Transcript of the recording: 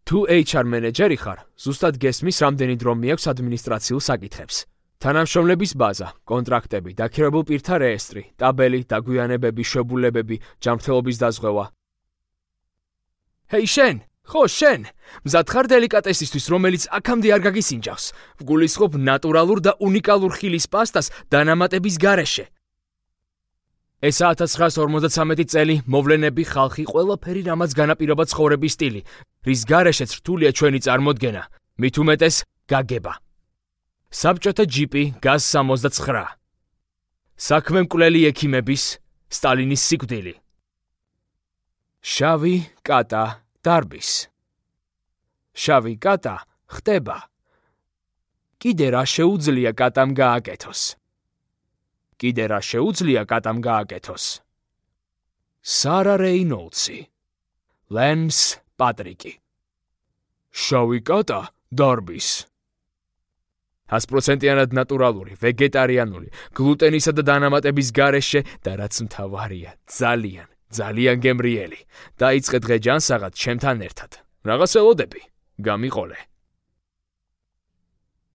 თუ HR მენეჯერი ხარ, ზუსტად გესმის, რამდენი დრო მიაქვს ადმინისტრაციულ საკითხებს. თანამშრომლების ბაზა, კონტრაქტები, დაქირავებულ პირთა რეესტრი, ტაბელი, დაგვიანებები, შებულებები, ჯანმრთელობის დაზღვევა. ჰეი შენ! ხო, შენ! მზად ხარ დელიკატესისთვის, რომელიც აქამდე არ გაგისინჯავს. ვგულისხმობ ნატურალურ და უნიკალურ ხილის პასტას დანამატების გარეშე. ესა 1953 წელი, მოვლენები, ხალხი, ყველაფერი, რამაც განაპირობა ცხოვრების სტილი, რის გარეშეც რთულია ჩვენი წარმოდგენა, მით უმეტეს გაგება. საბჭოთა ჯიპი, გაზ-69. საქმე მკვლელი ექიმების, სტალინის სიკვდილი. შავი კატა დარბის. შავი კატა ხტება. კიდე რა შეუძლია კატამ გააკეთოს? კიდე რა შეუძლია კატამ გააკეთოს? სარა რეინოლდსი. ლენს პატრიკი. შავი კატა დარბის. 100%-იანად ნატურალური, ვეგეტარიანული, გლუტენისა და დანამატების გარეშე და რაც მთავარია, ძალიან გემრიელი. დაიწყე დღე ჯანსაღად ჩემთან ერთად. რაღაც ელოდები, გამიყოლე.